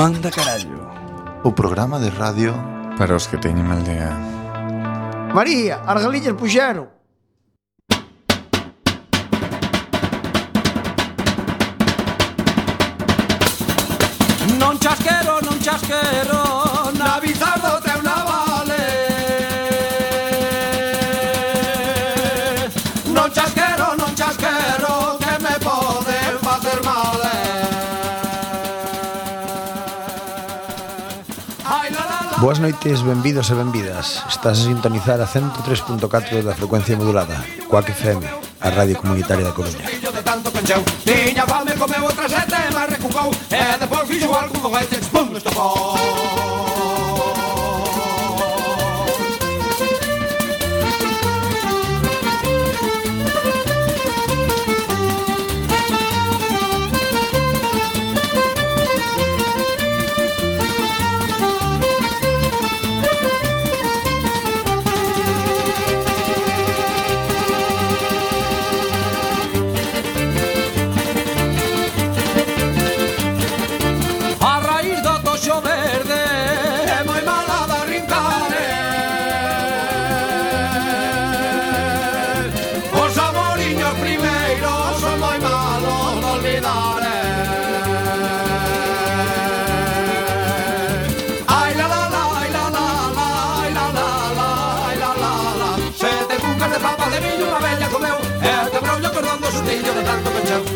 Manda carallo. O programa de radio para os que teñen mal día. María, as galiñas puxeron. Non chasquero, non chasquero, na bizardo teu navale. Non chasquero, que me poden facer mal. Boas noites, benvidos e benvidas. Estás a sintonizar a 103.4 da frecuencia modulada, Coac FM, a radio comunitaria da Coruña. Tiña fame, comeu outra sete, mas recucou, e depois fixo algún foguete, pum, estopou.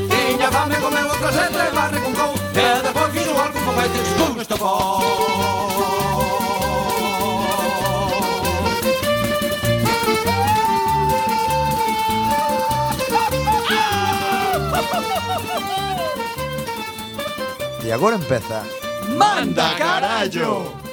Tiña fame, comeu outra sete, mas recucou, e depois fixo algún foguete, pum, estopou. E agora empeza Manda carallo.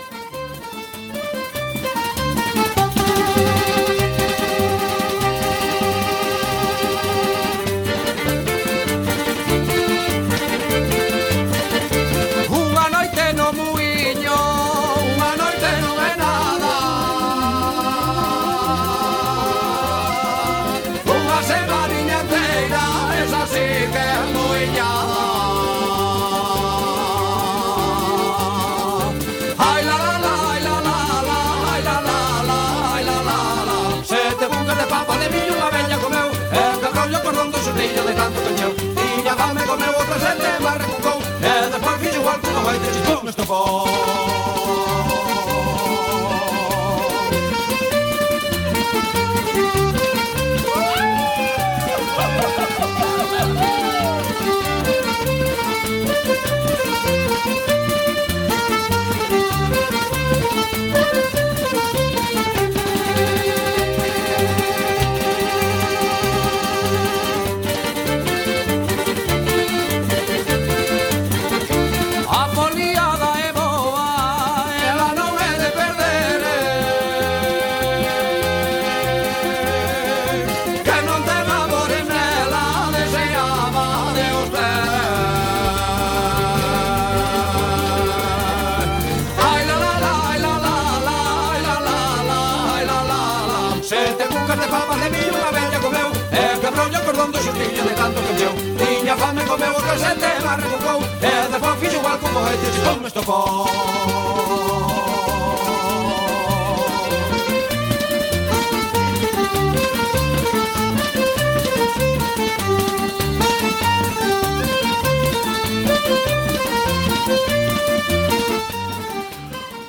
De tanto cancheu, tiña fame, comeu outra sete, mas recucou, e depois fixo igual que non vai ter pum, estopou. De tanto cancheu, tiña fame, comeu outra sete, mas recucou, e depois fixo igual que un foguete, pum, estopou.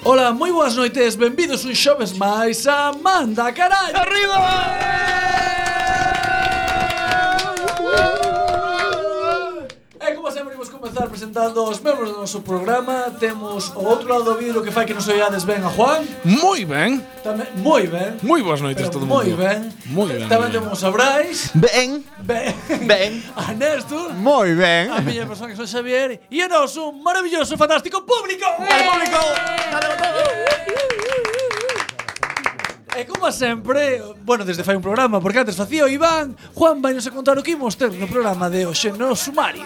Ola, moi boas noites, benvidos un xoves máis a Manda carallo. Arriba! Comezar presentando os membros do noso programa. Temos ao outro lado do vidro que fai que nos oiades ben a Juan. Moi ben. Tamén, moi ben. Moi boas noites todo mundo. Moi ben. Moi ben. Tamén temos a Brais. Ben. A Néstor. Moi ben. A miña persona que son Xavier. E o noso maravilloso, fantástico público. Al público. E como sempre, bueno, desde fai un programa, porque antes facía o Iván, Juan vai nos a contar o que imos ter no programa de hoxe no sumario.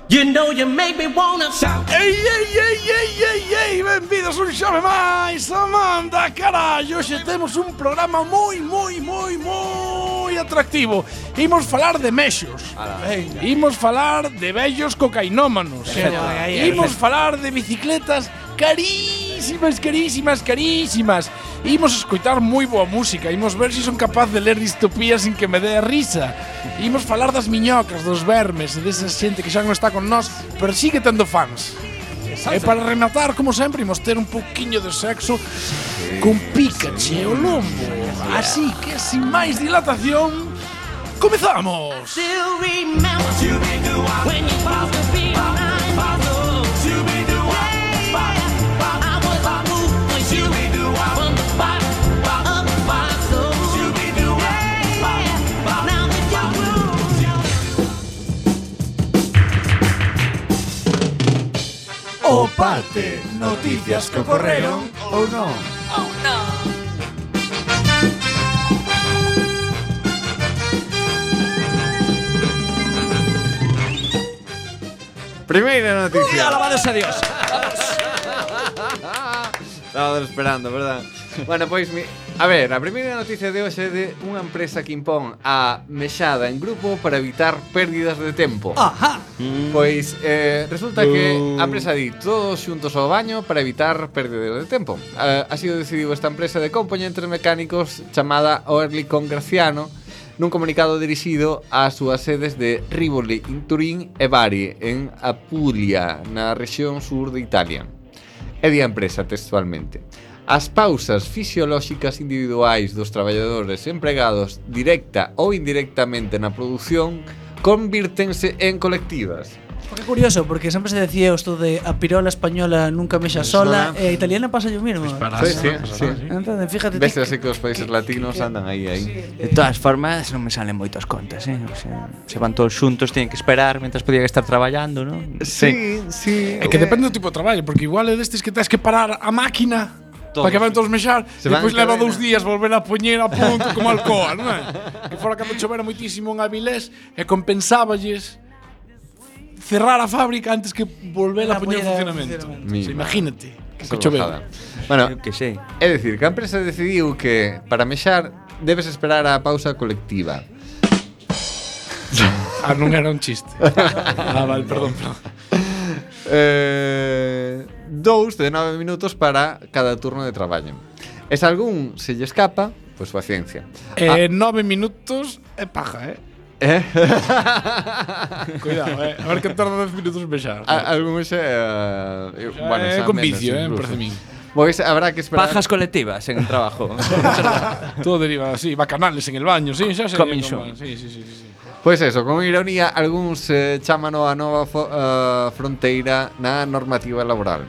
You know you make me wanna shout. Ei, benvidos un xove máis a Manda carallo. Hoxe temos un programa moi moi atractivo. Imos falar de mexos. Imos falar de vellos cocainómanos. Imos falar de bicicletas carísimas, carísimas, carísimas. Imos escoitar moi boa música. Imos ver se son capaz de ler distopías sin que me dé a risa. Imos falar das miñocas, dos vermes, desa xente que xa non está con nós, pero sigue tendo fans. E para rematar, como sempre, imos ter un pouquiño de sexo con Pikachu e o lombo. Así que, sin máis dilatación, comezamos! O parte, noticias que ocorreron ou non. Primeira noticia. Alabados a Dios. Estaba esperando, verdad? Bueno, pois, a ver, a primeira noticia de hoxe é de unha empresa que impón a mexada en grupo para evitar pérdidas de tempo. Ajá. Pois resulta que a empresa di todos xuntos ao baño para evitar pérdidas de tempo. Así o decidiu esta empresa de componentes mecánicos chamada Oerlikon Graciano nun comunicado dirixido ás súas sedes de Rivoli, in Turín e Bari, en Apulia, na rexión sur de Italia. E di a empresa textualmente: as pausas fisiolóxicas individuais dos traballadores empregados directa ou indirectamente na produción convírtense en colectivas. Que curioso, porque sempre se decía isto de a pirola española nunca mexa sola, e a italiana pasa o mismo. Sí. Entón, fíjate. Ves así que os países latinos andan aí. De todas formas, non me salen moitas contas, O sea, se van todos xuntos, tienen que esperar mentras podían estar traballando, non? Sí. É que depende do tipo de traballo, porque igual é destes que tens que parar a máquina para que van todos mexar e depois leva 2 días volver a poñer a punto como Alcoa, non é? Que fora cando chovera moitísimo en Avilés e compensáballes cerrar a fábrica antes que volver a poñer en funcionamento. Imagínate que choveu. Bueno, que sei. É dicir, que a empresa decidiu que para mexar debes esperar a pausa colectiva. Non era un chiste. Vale, perdón. 2 de 9 minutos para cada turno de traballo. E se algún se lle escapa, pois paciencia. 9 minutos é paja, Cuidado, a ver que tarda 10 minutos en mexar. Algúns é con vicio, me parece a min. Pois habrá que esperar. Pajas colectivas en el trabajo. Todo deriva así, bacanales en el baño, sí, xa sei. Sí. Pois eso, con ironía, algúns chámano a nova fronteira na normativa laboral.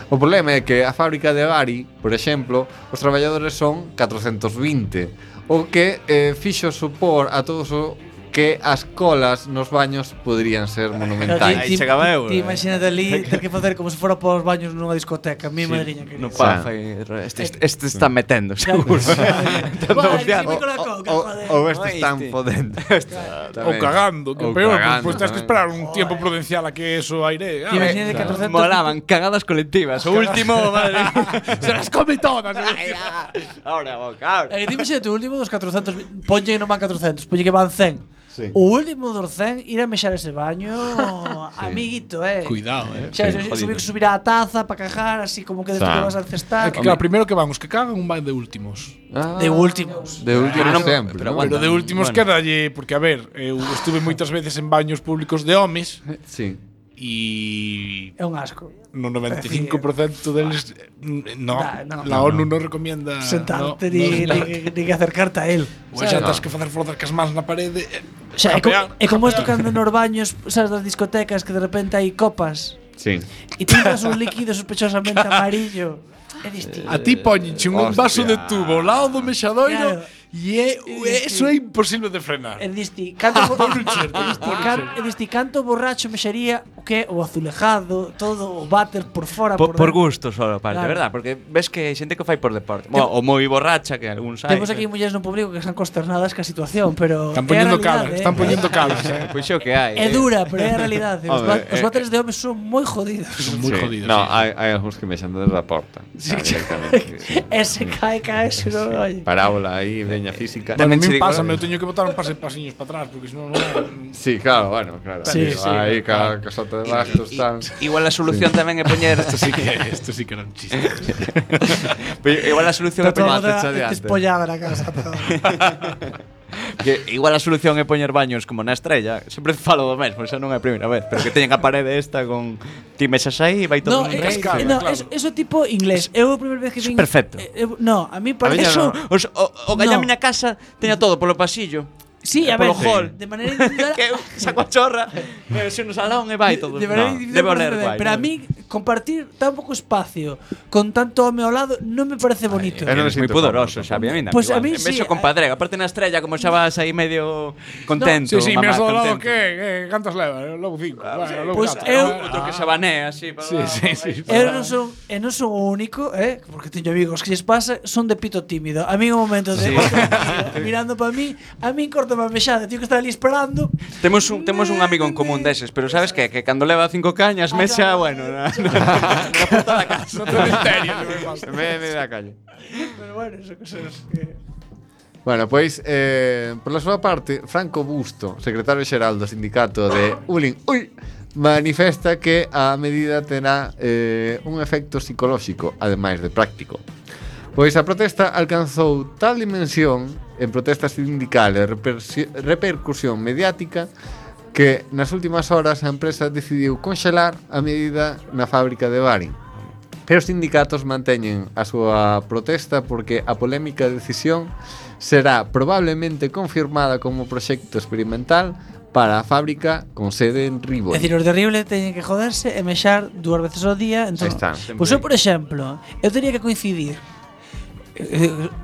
O problema é que a fábrica de Bari, por exemplo, os traballadores son 420, o que fixo supor a todos o que as colas nos baños poderían ser monumentais. Aí chegaba eu. Ti imagínate ali ter que facer como se fora para os baños nunha discoteca. Mi madriña que No pa, este está metendo, seguro. Ou este están podendo. Ou cagando, que peor, pois tens que esperar un tiempo prudencial a que eso aire. Ti imagínate 400. Molaban cagadas colectivas. O último, madre. Se las come todas. Ahora, boca. Ti imagínate o último dos 400. Ponlle que non van 400, ponlle que van 100. Sí. O último dos 100 ir a mexar ese baño, amiguito, Cuidado, Xa, subir a taza para cajar, así como que despois vas a cestar. É que claro, primeiro que van os que cagan un van de últimos. De últimos. De últimos sempre, pero ¿no? Pero de últimos quedalle, porque a ver, eu estuve moitas veces en baños públicos de homes. Sí. E É un asco. no 95% deles la ONU non recomienda sentarte ni que acercarte a él. Ou xa tens que facer forzar cas mans na parede. O sea, é como isto cando nos baños, sabes, das discotecas que de repente hai copas Sí. e tiras un líquido sospechosamente amarillo. É distinto. A ti poñenche un vaso de tubo ao lado do mexadoiro Claro. e eso é imposible de frenar. É disti, canto borracho mexería o que o azulejado, todo o váter por fora, Por dentro. gusto solo, parte, Claro. verdad? Porque ves que hai xente que o fai por deporte. O moi borracha, que algúns hai. Temos aquí mulleres no público que están consternadas ca situación, pero Están é a poñendo realidade, calas, están poñendo calas. Pois é o que hai. É dura, pero é a realidade. Home, Os váteres de homes son moi jodidos. Son moi jodidos. No, sí. hai algúns que mexan desde a porta. Directamente. Sí. Ese cae, se non oye. Parábola aí, veña física. Bueno, a Tamén mí che digo- pásame, eu teño que botar un pasiños para atrás, porque senón non Sí, claro, bueno, claro. Sí, Pero sí, aí ca casota de bastos tal. Igual a solución tamén é poñer Esto sí que era un chiste. Igual a solución é Está poñer tomate, toda adiante. despollada na casa. que igual a solución é poñer baños como na Estrella. Sempre falo do mesmo, xa non é a primeira vez, pero que teñen a parede esta con ti mesas aí e vai todo No, nun rei. cascada, no, claro. eso tipo inglés. Eu a primeira vez que Eso vin perfecto. No, a mí para miña eso no. O galla No. miña casa teña todo polo pasillo. sí, a ver, polo hall. de maneira individual. Que eu saco a chorra, se no salón e vai todo. De maneira No, individual debe parece oler ben, guai. pero a ¿no? mí compartir tan pouco espacio con tanto home ao lado non me parece bonito. eu non me Eres moi sinto poderoso, cómodo. Xavi, a mí Pues a igual. mí En vez sí, de compadrega, aparte na Estrella como xa vas aí medio contento. Sí, mamá, miras ao lado contento. que cantas leva, logo 5. Logo Pues catro, eu- eh. Outro que se banea así para Sí. Eu non son o único, porque teño amigos que lles pasa, son de pito tímido. A mí en un momento de mirando para mí, a mí cortame a mexada, teño que estar ali esperando. Temos un amigo en común deses, pero sabes que cando leva 5 cañas mexa, bueno, na porta da casa. No cementerio. Me da calle. Pero bueno, eso cosas que Bueno, pois, pola súa parte, Franco Busto, secretario xeral do sindicato de Ulin, manifesta que a medida terá un efecto psicolóxico, ademais de práctico. Pois a protesta alcanzou tal dimensión en protesta sindical e repercusión mediática que nas últimas horas a empresa decidiu conxelar a medida na fábrica de Barin. Pero os sindicatos manteñen a súa protesta porque a polémica decisión será probablemente confirmada como proxecto experimental para a fábrica con sede en Rivoli. É dicir, os de Rible teñen que joderse e mexar 2 veces ao día. Entón, Aí está. pois eu, por exemplo, eu teria que coincidir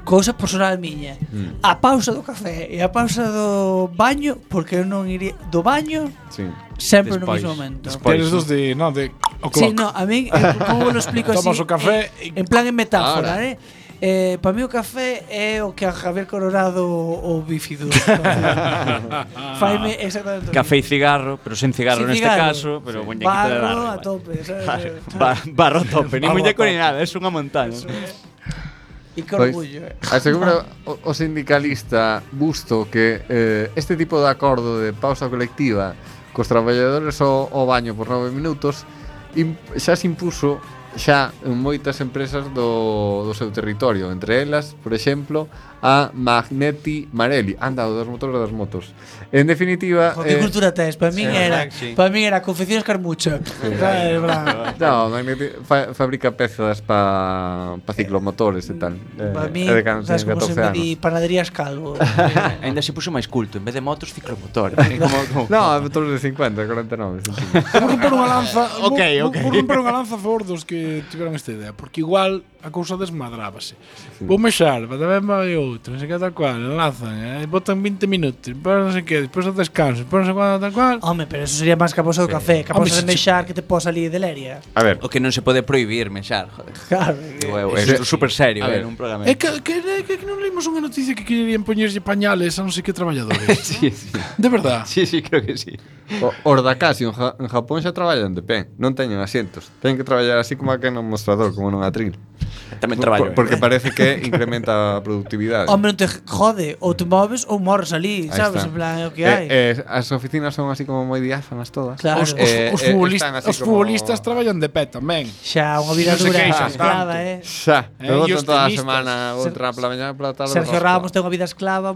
cousa personal miña, a pausa do café e a pausa do baño, porque eu non iría do baño Sí. sempre no Despois. mesmo momento. Eres dos de, no, de Sí, no, a mí, como lo explico así? Tomas o café en plan en metáfora, Ahora. para mí o café é o que a Javier Colorado o bífido. Faime exactamente. o Café e cigarro, pero sen cigarro Sin neste cigarro. caso, pero muñequito de Barro barro. a tope, sabes? Barro a tope, ni Barro a muñeco tope. ni nada, es unha montaña. E que Pois, orgullo. asegura o sindicalista Busto que este tipo de acordo de pausa colectiva cos traballadores ao baño por 9 minutos xa se impuso xa en moitas empresas do seu territorio, entre elas, por exemplo, a Magneti Marelli, anda o dos motores das motos. En definitiva, Jo, que cultura tes? Para min era, sí. para min era confecciones Carmucha. Sabes, bravo. no, Magneti fabrica pezas pa ciclomotores e tal. Para min, É de cando sabes teñen como se 14 me anos. di panaderías Calvo. Ainda se puxo máis culto, en vez de motos, ciclomotores. como No, motores de 50, 49 centímetros. Vou romper unha lanza. Ok, ok. Vou romper unha lanza a favor dos que tiveron esta idea, porque igual a cousa desmadrábase. Vou mexar, para tamén vai outro, non sei que tal cual, enlazan, botan 20 minutos, depois non sei que, depois o descanso, depois non sei cuándo tal cual. Home, pero eso sería máis que a pausa do café, que a Home, pausa de se- mexar que te pos ali de leria. A ver, O que non se pode prohibir mexar, joder. Claro. É super serio, A ver. un programa. É que non leímos unha noticia que querían poñerlle pañales a non sei que traballadores. Sí, sí. De verdad. Sí, sí, creo que sí. os da Casio en Japón xa traballan de pé, non teñen asientos. Teñen que traballar así como aquí no mostrador, como nun atril. Tamén traballo. Porque parece que incrementa a productividade. Home, non te jode, ou te moves ou morres ali, Aí sabes? está. En plan, é o que hai. As oficinas son así como moi diáfanas todas. Claro. Os están así os como- futbolistas traballan de pé tamén. Xa, unha vida Non se dura queixan esclava, tanto. Xa, E pero os toda a tenistas. semana outra pola mañá pola tarde. Sergio rosca. Ramos ten unha vida esclava.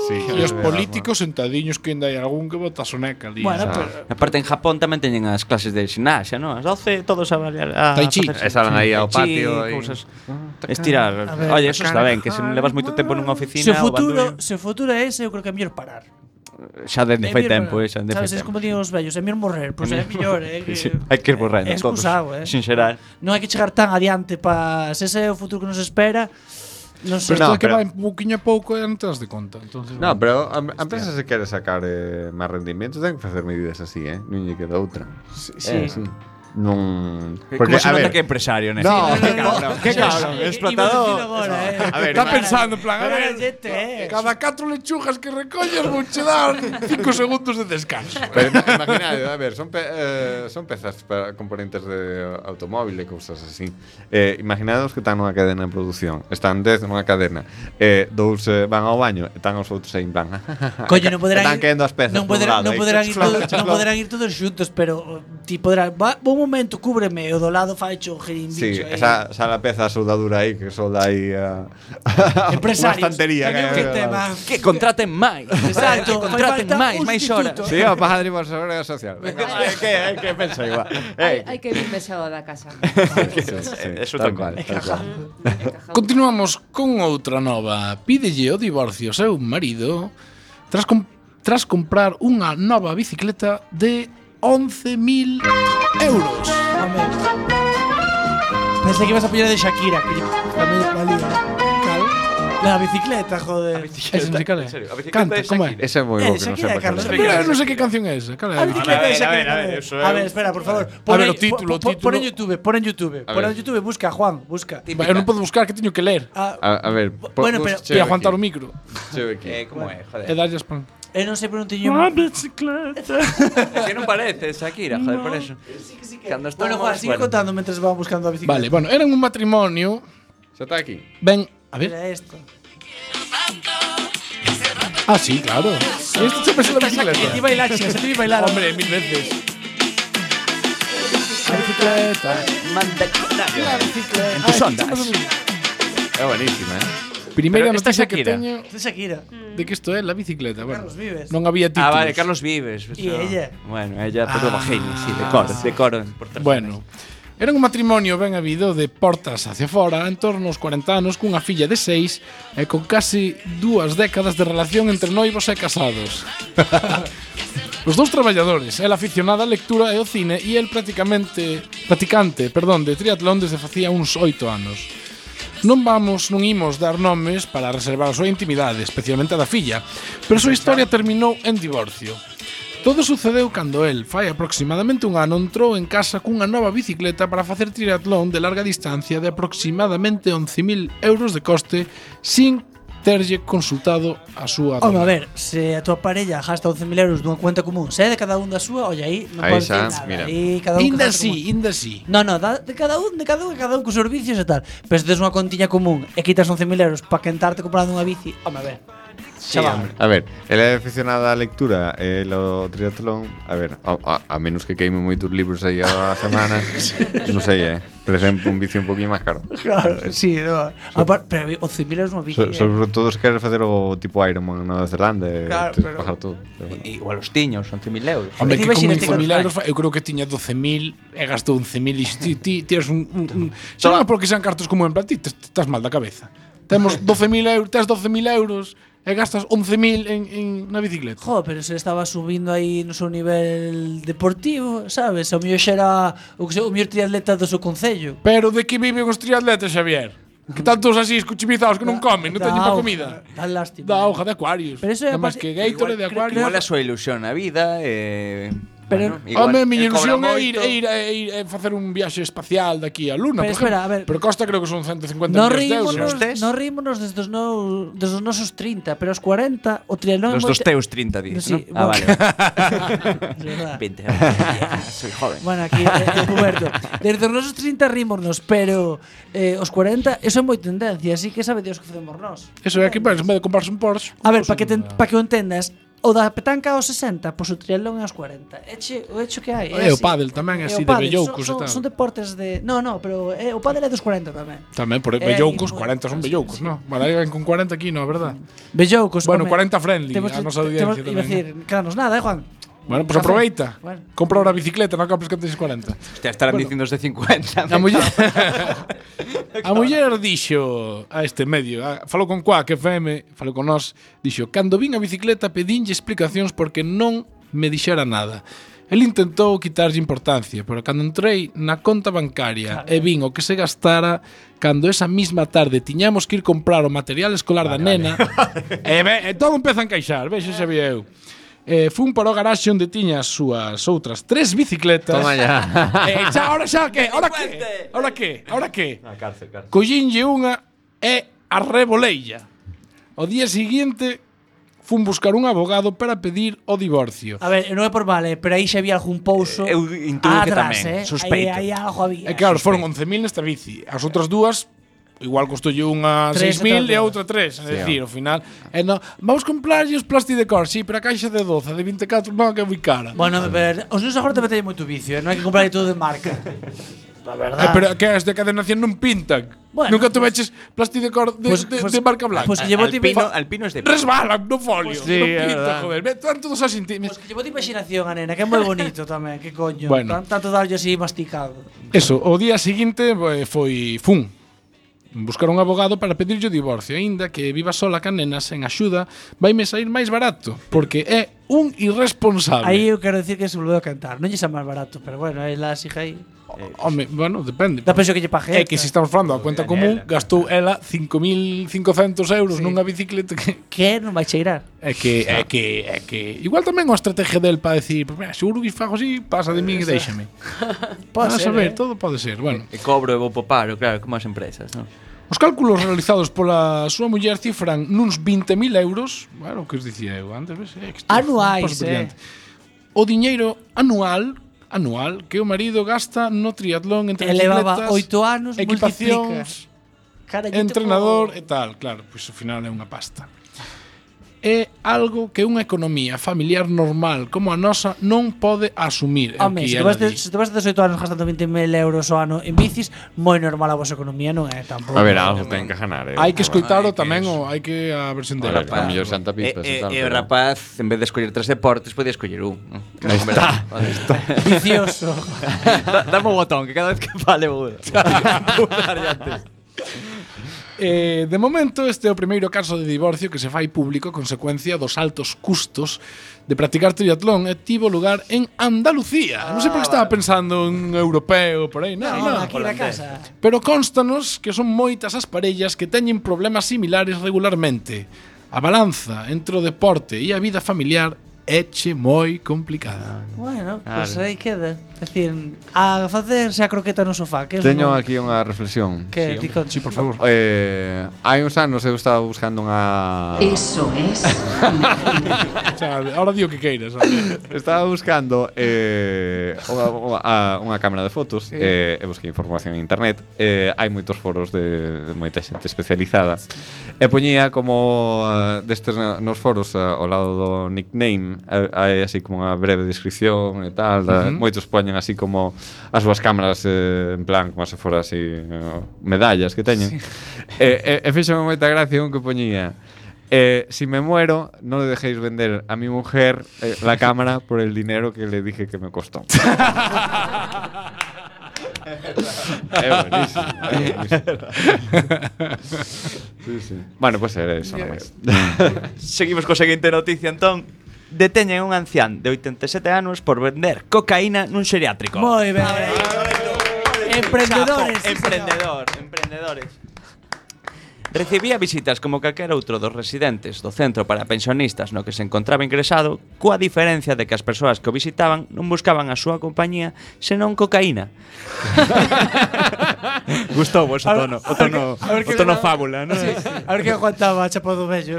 Sí, E os políticos sentadiños que ainda hai algún que bota soneca ali. Bueno, Xa. pero Aparte en Japón tamén teñen as clases de gimnasia, ¿no? As 12 todos a bailar a Tai chi. facer E salen aí ao tai chi, patio aí. cousas. Estirar. A ver, Oye, eso está ben, que se levas moito tempo nunha oficina se o o bandullo, futuro é ese, eu creo que é mellor parar. xa dende É fai mellor tempo, parar. xa dende fai Sabes, é como tempo. din os vellos, é mellor morrer, pois é mellor, que Sí, hai que ir borrando é todos. excusado, Sin xerar. Non hai que chegar tan adiante para se ese é o futuro que nos espera. Non sei. Pero isto No, é que pero- vai pouquiño a pouco e non te das de conta. Entonces, No, pero a empresa se quere sacar máis rendimiento, ten que facer medidas así, non lle queda outra. Sí. Non... Como se nota que é empresario, né? No, qué cabrón, qué cabrón, explotador. A ver, Está pensando, en plan, a ver, Gente, cada 4 lechugas que recollas vou che dar 5 segundos de descanso. Pero imaginade, a ver, son pezas para componentes de automóvil e cousas así. Imaginade os que están nunha cadena de produción. Están 10 nunha cadena. Dous van ao baño e están os outros aí en plan. Coño, non poderán Están quedando as pezas non por un poderán, lado, non aí, poderán ir chuflón, todos, non chuflón. poderán ir todos xuntos, pero ti podrás, un momento cúbreme e o do lado faicho Sí, girimbicho. esa la peza de soldadura aí que solda aí a Empresarios. unha estantería Que tema. Que contraten máis. Exacto, Que contraten fai falta máis un horas. sustituto. Sí, o padre por seguridade social. Venga, que pensa igual. Hai que vir vexado da casa. Eso tal tal cual, cual. tal cual. Continuamos con outra nova. Pídelle o divorcio ao seu marido tras comprar unha nova bicicleta de 11.000 euros. Pensei que ibas a pillar de Shakira, que tamén valía. Cal? La bicicleta, joder. Ese musical é? En serio, a bicicleta Canta, de como é? Shakira. Ese é moi bo que non Shakira, sepa. Carlos. Mira, non sei que canción é esa. Cal é? A bicicleta de Shakira. a ver, eso é A ver, espera, por favor. A ver, o título, o título. Pon en YouTube, pon en YouTube. Pon en ver. YouTube, busca, Juan, busca. Va, eu non podo buscar, que teño que ler. A ver, Bueno, pero- E aguantar o micro. Como é, joder. E darlle as pan. Eu non sei, pero non teño... bicicleta. Es que non parece Shakira, joder, por eso. Cando Bueno, Juan, sigue contando mientras van buscando a bicicleta. Vale, bueno, eran un matrimonio. Xa está aquí. Ben, a ver. Mira esto. Ah, sí, claro. Esto sempre é la Se ti bicicleta. bailar, chica, se ti bailar. Hombre, 1000 veces. La bicicleta. La bicicleta. Tus ondas. É buenísima, Primeira Pero esta noticia que Shakira. teño De Shakira. de que isto é la bicicleta. Bueno, Carlos Vives. non había títulos. Ah, vale, Carlos Vives. Y ella. Bueno, ella pero bajinho, sí, de coro. Bueno, era un matrimonio ben habido de portas hacia fora, en torno aos 40 anos, cunha filla de 6 e con casi 2 décadas de relación entre noivos e casados. Os dous traballadores, ela aficionada á lectura e ao cine e el practicante, de triatlón desde facía uns 8 anos. Non imos dar nomes para reservar a súa intimidade, especialmente a da filla, pero a súa historia terminou en divorcio. Todo sucedeu cando el, fai aproximadamente un ano, entrou en casa cunha nova bicicleta para facer triatlón de larga distancia de aproximadamente 11.000 euros de coste sin terlle consultado a súa Home, a dona. ver, se a tua parella gasta 11.000 euros dunha cuenta común, se é de cada un da súa, olla aí, non Aí pode xa, decir nada. mira. Aí cada un Inda gasta como- sí, inda sí. No, de cada un cos servicios e tal. Pero se tes unha contiña común e quitas 11.000 euros para quentarte comprando unha bici, home, a ver. Chaval. A ver, ela é aficionada á lectura e o triatlón. A ver, a menos que queime moitos libros aí a semana. Non sei, por exemplo, un bici un poquinho máis caro. Claro, sí, no. Pero 11.000 euros unha bici. Sobre todo se queres facer o tipo Ironman en Nova Zelanda e Claro, tens que pero- pagar todo. Igual os tiños, 11.000 euros. Hombre, que con Imagínate 11.000 que- euros, eu creo que tiña 12.000 e gastou 11.000 e ti tienes xa non é porque sean cartos como en plan, ti estás mal da cabeza. Temos 12.000 euros, tes 12.000 euros e gastas 11.000 en na bicicleta. Joder, pero se estaba subindo aí no seu nivel deportivo, sabes? O mellor xa era o mellor triatleta do seu concello. Pero de que viven os triatletas, Xavier? Que tantos así escuchimizados que non comen, non teñen pa comida. Da lástima. Da hoja de Aquarius. Pero eso é Nada máis aparte- que Gatorade de Aquarius. Igual é a súa ilusión na vida Pero- Home, a miña el cobra ilusión é moito. ir facer un viaxe espacial daqui á Luna, Pero por espera, exemplo. a ver. Pero costa creo que son 150 No millones de euros. tes? rímonos desde os nosos 30, pero aos 40 o triatlón Los dos teus 30 días, Sí, ¿no? Ah, bueno. vale. De verdad. 20. Soy joven. Bueno, aquí Roberto. Desde os nosos 30 rímonos, pero os 40 eso é moi tendencia, así que sabe Dios que facemos nós. Eso é que, en vez de comprarse un Porsche. A ver, para que o entendas, o da petanca aos 60, pois o triatlón é aos 40. O hecho que hai. E o pádel tamén é E así o de pádel, velloucos e tal. Son deportes de... No, pero o pádel é dos 40 tamén. Tamén por velloucos, 40 son velloucos, ¿no? Vale, alguén con 40 aquí, no, verdad? Velloucos, Bueno, home. 40 friendly, a nosa audiencia Iba a tamén. decir, quedanos nada, Juan? Bueno, pues Café. aproveita. Bueno. Compra ahora bicicleta, non compres que tenes 40. Hostia, estarán dicindo os de 50. A muller A muller dixo a este medio, falou con Quack FM, falou con nós, dixo: "Cando vin a bicicleta pedinlle explicacións porque non me dixera nada. El intentou quitarlle importancia, pero cando entrei na conta bancaria e vin o que se gastara cando esa misma tarde tiñamos que ir comprar o material escolar da nena, e todo empeza a encaixar, vexe xa vi eu. Fun para o garaxe onde tiña as súas outras 3 bicicletas. Toma ya. Ahora que? Collínlle unha e arreboleilla. O día seguinte fun buscar un abogado para pedir o divorcio. A ver, non é por mal, pero aí xa había algún pouso. Eu intuo que tamén, sospeito. Aí algo había. E claro, foron 11.000 nesta bici. As outras dúas igual costoulle unha 6.000 e a outra 3, é dicir, ao final, vamos comprarlle os plastidecor, sí, pero a caixa de 12, de 24, non, que é moi cara. Bueno, pero os neus agora te metei moito vicio, non hai que comprar todo de marca. La verdad. Pero que as de cadenación non pintan. Bueno, nunca tuveches plastidecor de marca blanca. Pues llevo Alpino es de resbalan no folio, Sí, non pintan, joder. Están todos así. Pues que llevo de imaginación a nena, que é moi bonito tamén, que coño. Bueno. Tanto darlle así masticado. Eso, o día seguinte fun buscar un abogado para pedirlle o divorcio, aínda que viva sola ca nena sen axuda, vaime sair máis barato, porque é un irresponsable. Aí eu quero decir que se volveu a cantar. Non lle xa máis barato, pero bueno, aí la siga aí. Home, bueno, depende. Da penso que lle pague. É que se estamos falando da cuenta común, gastou ela 5.500 euros nunha bicicleta que non vai cheirar. É que igual tamén unha estrategia del para decir, pues mira, seguro que fago así, pasa de min e déixame. Pode ser, saber, todo pode ser. Bueno, E cobro e vou po paro, claro, como as empresas, non? os cálculos realizados pola súa muller cifran nuns 20.000 euros, bueno, o que os dicía eu antes, ves? Anuais, O diñeiro anual que o marido gasta no triatlón entre elevaba bicicletas, 8 anos, equipacións, multiplica. entrenador e tal, claro, pois ao final é unha pasta. É algo que unha economía familiar normal como a nosa non pode asumir. Home, se te vas de 18 anos gastando 20.000 euros ao ano en bicis, moi normal a vosa economía non é tampouco. A ver, algo ten que ganar. Hai que escoitaro tamén, hai que a versión dela. A mellor Santa Pipas e tal. E o rapaz, en vez de escoller 3 deportes, podía escoller un. Aí está. Vicioso. Dame un botón, que cada vez que fale vou darlle antes. De momento, este é o primeiro caso de divorcio que se fai público a consecuencia dos altos custos de practicar triatlón e tivo lugar en Andalucía. Non sei por que estaba pensando en europeo por aí, non, aquí na casa. Pero constanos que son moitas as parellas que teñen problemas similares regularmente. A balanza entre o deporte e a vida familiar éche moi complicada. Bueno, pois aí queda. É dicir, a facerse a croqueta no sofá. Que teño aquí unha reflexión. Que Sí, por favor. Hai uns anos eu estaba buscando unha... Eso es. O sea, ahora di o que queiras. Estaba buscando unha cámara de fotos e busquei información en internet. Hai moitos foros de moita xente especializada. E poñía como destes nos foros ao lado do nickname hai así como unha breve descripción e tal. Moitos poñen así como as súas cámaras en plan como se fora así medallas que teñen. E fíxome moita gracia un que poñía si me muero, no le dejéis vender a mi mujer la cámara por el dinero que le dije que me costó. Buenísimo. Sí. Bueno, pues era eso nomás. Seguimos co seguinte noticia, entón. Deteñen un ancián de 87 anos por vender cocaína nun xeriátrico. Moi ben. Emprendedores. Emprendedores. Recibía visitas como calquera outro dos residentes do centro para pensionistas no que se encontraba ingresado, coa diferencia de que as persoas que o visitaban non buscaban a súa compañía senón cocaína. Gustou vos o tono fábula, non? Sí. A ver que aguantaba a chapa do vello.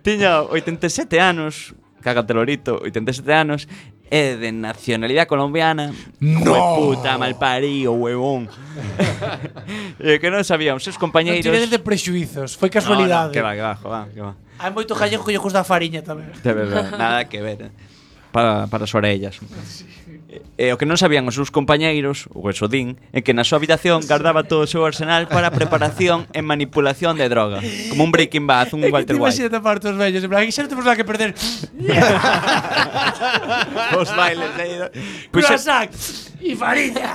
Tiña 87 anos, cágate lorito, 87 anos, é de nacionalidade colombiana. No. Puta malparío, huevón. Que non sabían os seus compañeiros. Non tivedes de prexuizos, foi casualidade. Que va. Hai moito gallego que lle gusta a fariña tamén. De verdade, nada que ver. Para as orellas. O que non sabían os seus compañeiros, o Esodín, é que na súa habitación guardaba todo o seu arsenal para preparación e manipulación de droga. Como un Breaking Bad, un Walter White. Imagínate partos vellos, en plan, aquí xa non temos nada que perder. Os bailes aí. Curasac. E fariña.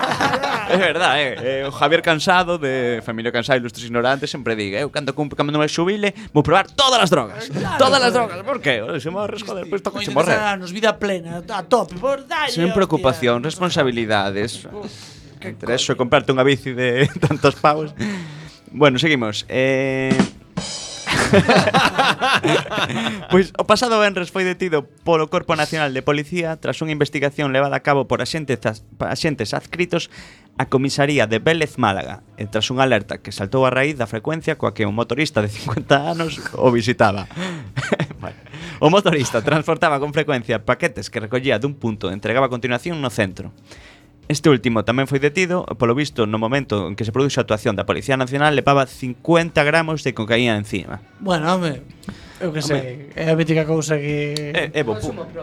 É verdade, o Javier Cansado de Familia Cansado Ilustres Ignorantes sempre diga, eu cando me xubile vou probar todas as drogas. Todas as drogas, por qué? Se morres, joder, pois toca se morrer. Nos vida plena, a tope, por dalle. Sen preocupación, responsabilidades. Entre eso e comprarte unha bici de tantos pavos. Bueno, seguimos. Pois o pasado venres foi detido polo Corpo Nacional de Policía tras unha investigación levada a cabo por axentes adscritos á comisaría de Vélez Málaga e tras unha alerta que saltou a raíz da frecuencia coa que un motorista de 50 anos o visitaba. Bueno, o motorista transportaba con frecuencia paquetes que recollía dun punto e entregaba a continuación no centro. Este último tamén foi detido, polo visto, no momento en que se produxe a actuación da Policía Nacional, levaba 50 gramos de cocaína encima. Bueno, home, eu que sei, é a mítica cousa que...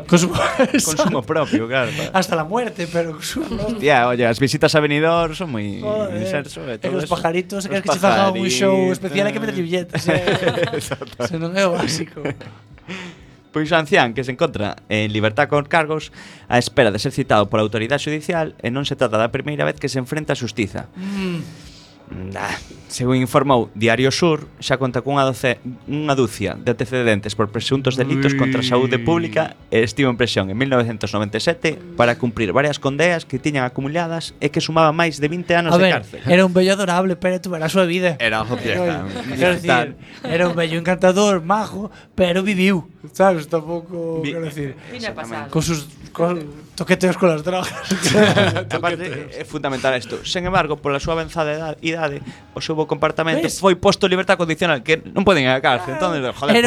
Consumo propio, claro. Hasta la muerte, pero consumo. Hostia, oye, as visitas a Benidorm son moi inserso e todo os eso. pajaritos, queres que se faga un show especial, hai que meter billetes. Se non é o básico. Pois o ancián que se encontra en libertad con cargos á espera de ser citado pola autoridade judicial e non se trata da primeira vez que se enfrenta a xustiza. Según informou Diario Sur, xa conta cunha dúcia de antecedentes por presuntos delitos contra a saúde pública e estivo en prisión en 1997 para cumprir varias condeas que tiñan acumuladas e que sumaban máis de 20 anos de cárcel. Era un bello adorable, pero tuve a súa vida. Era unha pieza. Era un bello encantador, majo, pero viviu, sabes, tampouco, quero decir, con sus toqueteos con las drogas. Aparte, é fundamental isto. Sen embargo, pola súa avanzada idade, o seu bo comportamento foi posto en libertad condicional, que non poden ir á cárcel. Entón, joder,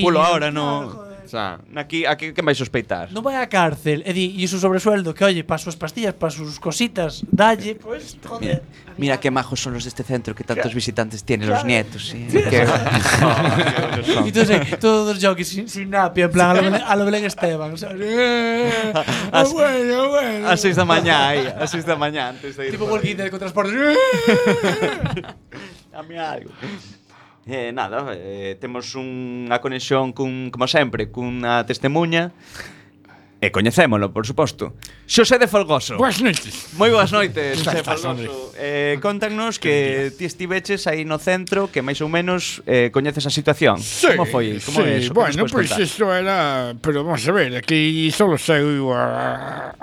pulo ahora, no. O sea, aquí que vai sospeitar? Non vai á cárcel e di, e su sobresueldo, que oye, para sus pastillas, para sus cositas, dalle, pues, joder. Mira qué majos son los de este centro, que tantos visitantes tienen los nietos. ¿Sí? Y todos los jockeys sin napia, en plan a lo Belén Esteban. Bueno. A 6 da mañá, aí, a 6 da mañá antes de ir. Tipo Walking Dead con transporte. Dame algo. Nada, temos unha conexión como sempre, cunha testemunha. E coñecémolo, por suposto. Xosé de Folgoso. Boas noites. Moi boas noites, Xosé Folgoso. Contanos que ti estiveches aí no centro, que máis ou menos coñeces a situación. Sí, como foi? Como é eso? Bueno, pois isto era... Pero vamos a ver, aquí solo saiu a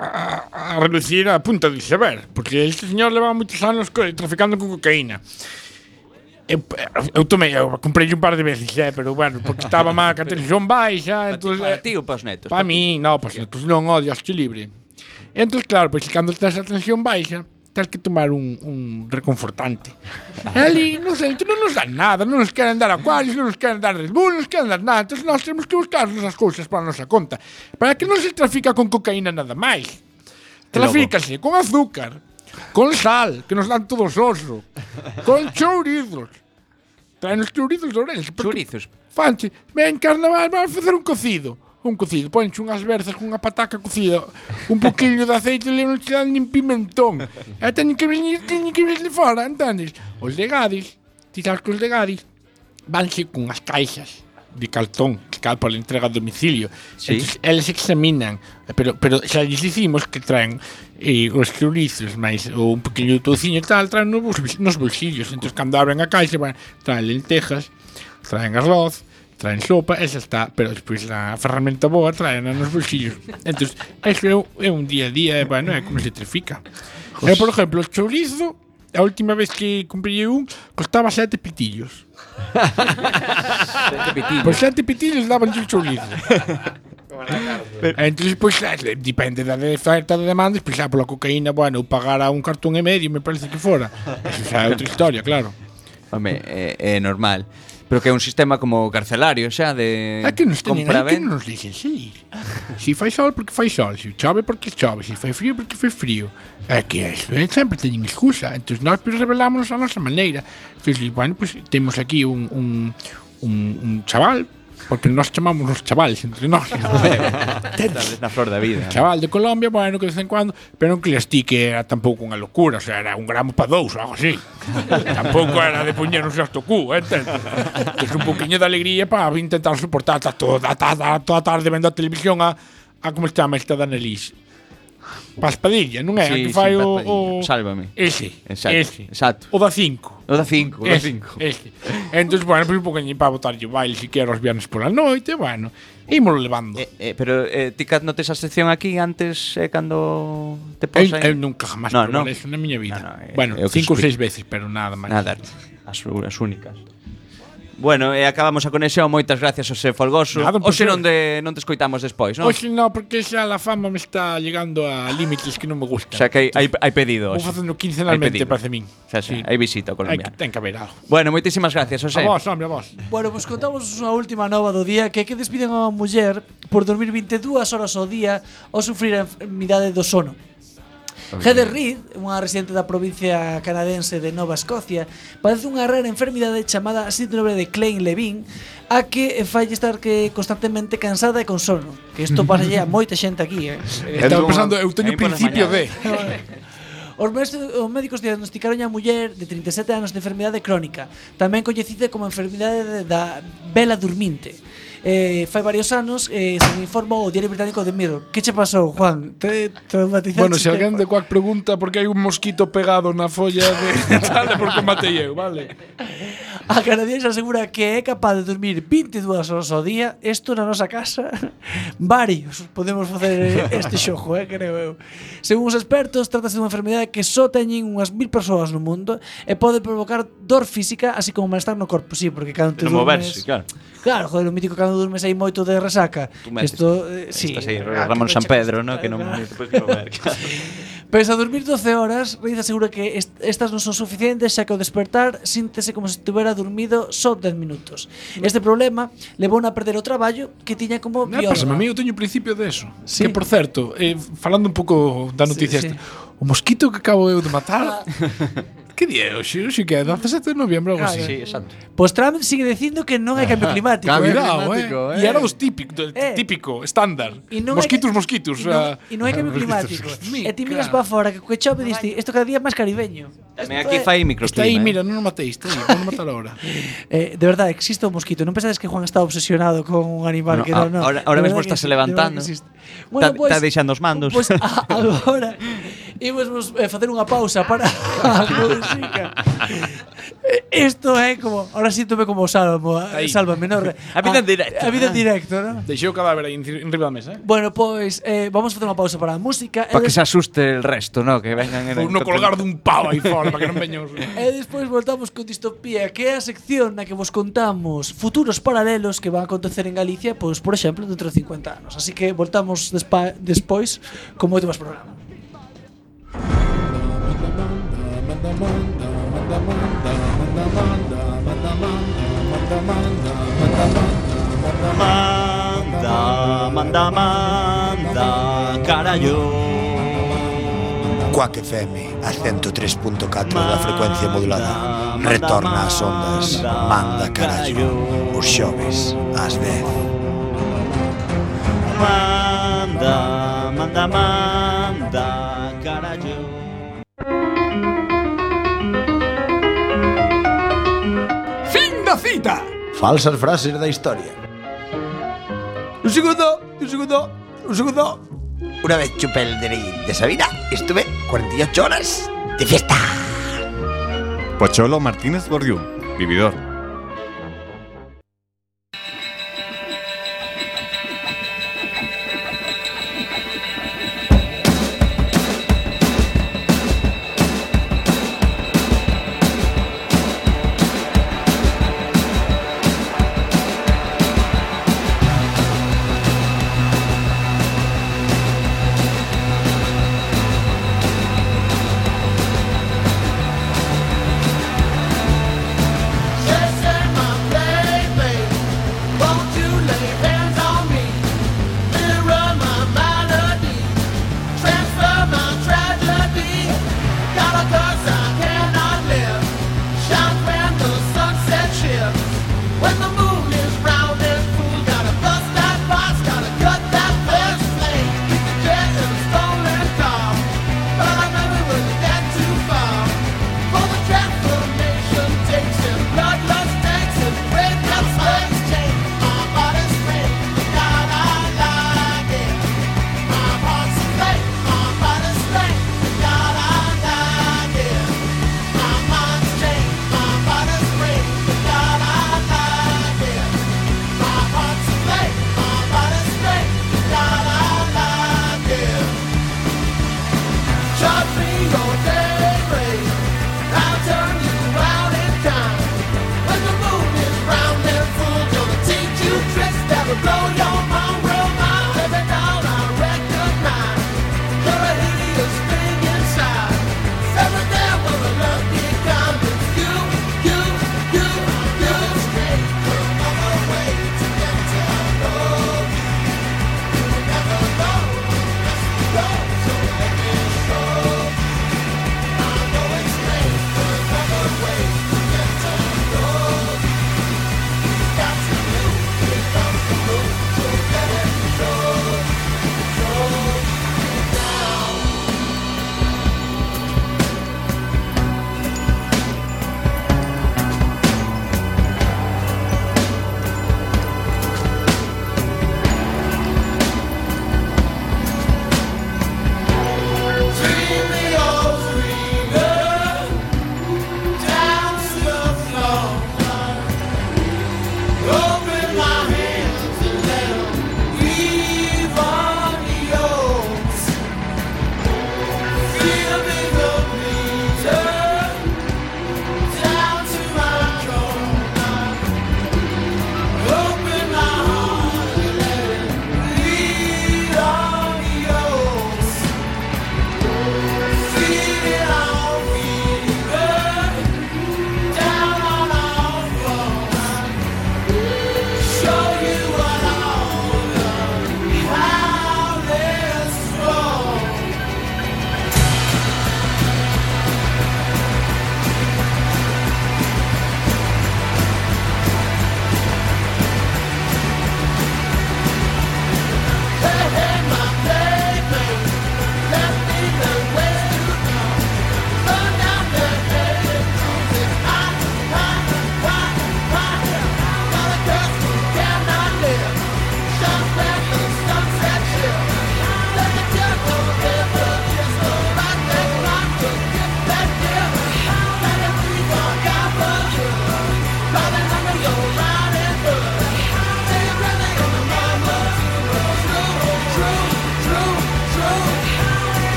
reducir a punta do iceberg, porque este señor leva moitos anos traficando con cocaína. Eu comprei un par de veces, pero bueno, porque estaba má que a tensión baixa. Para ti ou para os netos? Para mí, non, para os netos non, odio, acho libre. Entón, claro, pois cando tens a tensión baixa, tens que tomar un reconfortante. Ali, non sei, non nos dan nada, non nos queren dar acuarios, non nos queren dar Red Bull, non nos queren dar nada. Entón, nós temos que buscar as cousas para a nosa conta. Para que non se trafica con cocaína nada máis. Trafícase con azúcar, con sal, que nos dan todos oso, con chourizos. Traen os chourizos de Ourense. Chourizos? Fanche, ven, carnaval, vamos facer un cocido. Ponche unhas berzas con unha pataca cocida, un poquinho de aceite e non te dan nin pimentón. E teñen que venir de fora, entendes? Os de Gadis, ti sabes que os de Gadis vanse con as caixas de cartón que cal para a entrega a domicilio. Sí. Entonces, eles examinan, pero xa lles dicimos que traen os chourizos máis ou un pequeno touciño e tal, traen nos bolsillos. Entón, cando abren a caixa, traen lentejas, traen arroz, traen sopa, esa está, pero despois a ferramenta boa traen nos bolsillos. Entón, eso é un día a día, bueno, é como se trafica. Por exemplo, o chourizo, a última vez que comprei un, costaba 7 pitillos. 7 pitillos. Por 7 pitillos daban un chourizo. Entón, pois, depende da oferta da demanda, pois, pola cocaína, bueno, pagar a un cartón e medio, me parece que fora. Eso xa é outra historia, claro. Home, é normal. Pero que é un sistema como carcelario, xa, de é que nos compra-venta. É que nos dixen sair. Si fai sol, porque fai sol. Si chove, porque chove. Si fai frío, porque fai frío. É que eso, sempre teñen excusa. Entón, nós revelámonos a nosa maneira. Entón, bueno, pues, temos aquí un chaval, porque nós chamamos os chavales entre nós. Estás na flor da vida. Chaval de Colombia, bueno, que de vez en cuando, pero non que les ti que era tampouco unha locura, o sea, era un gramo para 2 ou algo así. Tampouco era de poñernos hasta o cu, entende? Que é un poquinho de alegría para intentar soportar toda a tarde vendo a televisión a como se chama esta da Annelies. Paspadilla, non é? Sí, Que fai sí, o Paspadilla. Sálvame. Ese. Exacto. O da 5. O da 5, o da 5. Ese. Entón, bueno, pois un poquinho para botarlle o baile si quero os viernes pola noite, bueno, ímolo levando. Pero ti que notes a sección aquí antes cando te posa. Eu nunca jamás probei eso na miña vida. Bueno, 5 ou 6 veces, pero nada máis. Nada, as únicas. Bueno, acabamos a conexión. Moitas gracias, José Folgoso. Oxe non te escoitamos despois, non? Oxe non, porque xa a fama me está llegando a límites que non me gustan. O sea que hai pedido. Vou facendo quincenalmente, parece min. Sí. Hai visita colombiana. Ten que haber algo. Bueno, moitísimas gracias, José. A vos, hombre, a vos. Bueno, pues contamos unha última nova do día que despiden a unha muller por dormir 22 horas ao día ao sufrir a enfermidade do sono. Heather Reid, unha residente da provincia canadense de Nova Escocia, padece unha rara enfermidade chamada síndrome de Klein-Levin, a que fai estar constantemente cansada e con sono. Que isto pasa a moita xente aquí, Estaba pensando, eu teño principio de... Os médicos diagnosticaron a muller de 37 anos de enfermidade crónica, tamén coñecida como enfermidade da vela durminte. Fai varios anos se me informou o Diario Británico de Mirror. Que che pasou, Juan? Te traumatizaste? Bueno, se alguén de Quack pregunta por que hai un mosquito pegado na folla de tal, porque matei eu, vale? A canadiense asegura que é capaz de dormir 22 horas ao día. Isto na nosa casa varios podemos facer este xogo, creo eu. Según os expertos, trátase dunha enfermedade que só teñen unhas 1000 persoas no mundo e pode provocar dor física así como malestar no corpo. Sí, porque cando te moverse, claro. Claro, joder, o mítico cando durmes aí moito de resaca. Isto, sí, estás aí, Ramón San Pedro, ¿no? Que non te podes mover. Pese a dormir 12 horas, Reid asegura que estas non son suficientes, xa que ao despertar síntese como se estivera dormido só 10 minutos. Este problema levou a perder o traballo que tiña como bióloga. Pásame, a mí eu teño principio de eso. Sí. Que, por certo, falando un pouco da noticia esta, o mosquito que acabo eu de matar... Que día é hoxe? Hoxe que é 17 de noviembre, algo así. Sí, exacto. Pois Trump sigue dicindo que non hai cambio climático. Cuidado, E era dos típico, estándar. Mosquitos. E non hai cambio climático. E ti miras para fora, que chove diste, isto cada día é máis caribeño. Tamén aquí fai microclima. Está aí, mira, non o mateis, vamos matar ahora. De verdade, existe o mosquito. Non pensades que Juan está obsesionado con un animal que non. Ahora mesmo está se levantando. Está deixando os mandos. Pois agora imos facer unha pausa para a música. Isto é como, ahora síntome como Sálvame, ¿no? A vida en directo. A vida en directo, ¿no? Deixou o cadáver aí enriba da mesa, Bueno, pois vamos facer unha pausa para a música. Para que se asuste el resto, ¿no? Que vengan en no colgar dun pavo aí fora para que non veños. E despois voltamos con Distopía, que é a sección na que vos contamos futuros paralelos que van a acontecer en Galicia, pois, por exemplo, dentro de 50 anos. Así que voltamos despois con moito máis programa. Manda, carallo. Quack FM, a 103.4 da frecuencia modulada. Retorna ás ondas, manda carallo. Os xoves, ás 10. Manda, carallo. Fin da cita. Falsas frases da historia. Un segundo. Una vez chupé el DNI de Sabina, estuve 48 horas de fiesta. Pocholo Martínez Bordiú, vividor. Say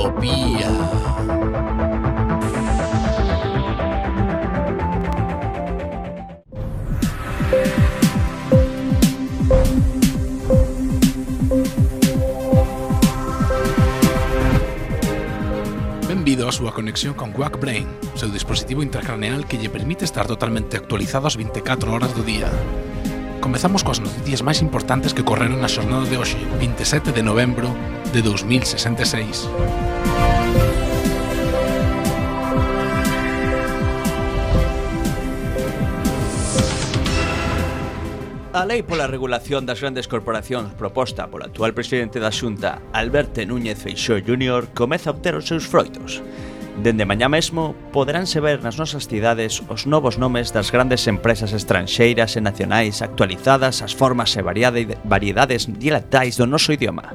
Utopía. Benvido a súa conexión con Quack Brain, o seu dispositivo intracraneal que lle permite estar totalmente actualizado as 24 horas do día. Comezamos coas noticias máis importantes que ocorreron na xornada de hoxe, 27 de novembro de 2066. A lei pola regulación das grandes corporacións proposta polo actual presidente da Xunta, Alberto Núñez Feixóo Jr., comeza a obter os seus froitos. Dende mañá mesmo poderánse ver nas nosas cidades os novos nomes das grandes empresas estranxeiras e nacionais actualizadas as formas e variedades dialectais do noso idioma.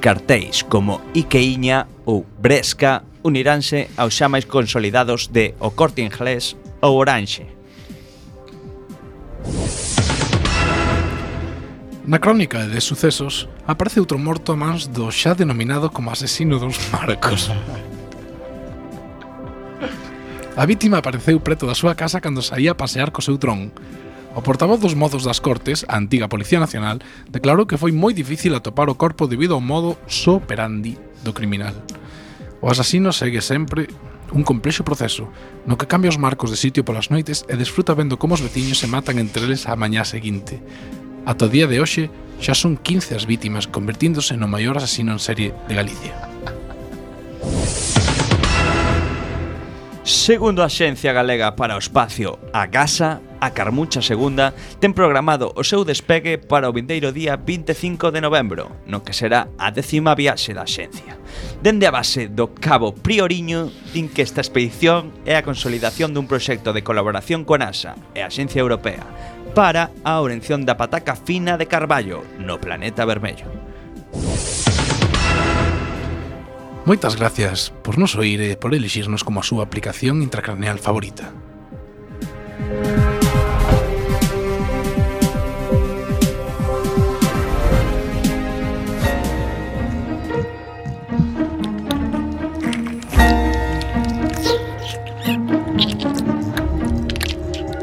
Cartéis como Ikeiña ou Bresca uniránse aos xa máis consolidados de O Corte Inglés ou Oranxe. Na crónica de sucesos aparece outro morto a mans do xa denominado como asesino dos Marcos. A vítima apareceu preto da súa casa cando saía a pasear co seu dron. O portavoz dos mozos das Cortes, a antiga Policía Nacional, declarou que foi moi difícil atopar o corpo debido ao modo operandi do criminal. O asasino segue sempre un complexo proceso, no que cambia os marcos de sitio polas noites e desfruta vendo como os veciños se matan entre eles a mañá seguinte. Ata o día de hoxe xa son 15 as vítimas, convertíndose no maior asasino en serie de Galicia. Segundo a Axencia Galega para o Espacio, a GASA, a Carmucha II ten programado o seu despegue para o vindeiro día 25 de novembro, no que será a 10ª viaxe da Axencia. Dende a base do Cabo Prioriño, din que esta expedición é a consolidación dun proxecto de colaboración con NASA e a Axencia Europea para a orención da pataca fina de Carballo no planeta vermello. Moitas gracias por nos oír e por elixirnos como a súa aplicación intracraneal favorita.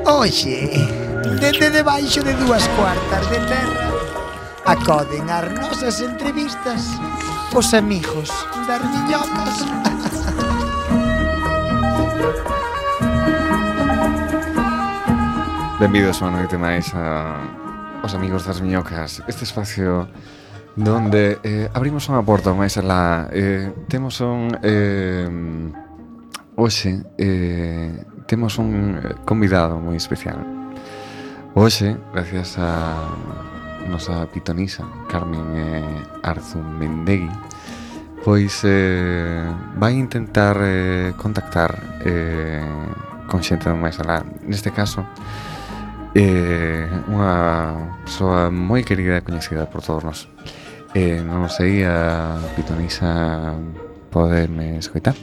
Oxe, dende debaixo de 2/4 de terra acoden as nosas entrevistas os amigos das miñocas. Benvidos unha noite máis aos amigos das miñocas. Este espacio donde abrimos unha porta máis alá. Temos un hoxe temos un convidado moi especial. Hoxe, gracias a nosa pitonisa Carmen Arzumendegui, pois vai intentar contactar con xente do máis alá. Neste caso, unha persoa moi querida e coñecida por todos nós. Non sei, a pitonisa podeme escoitar?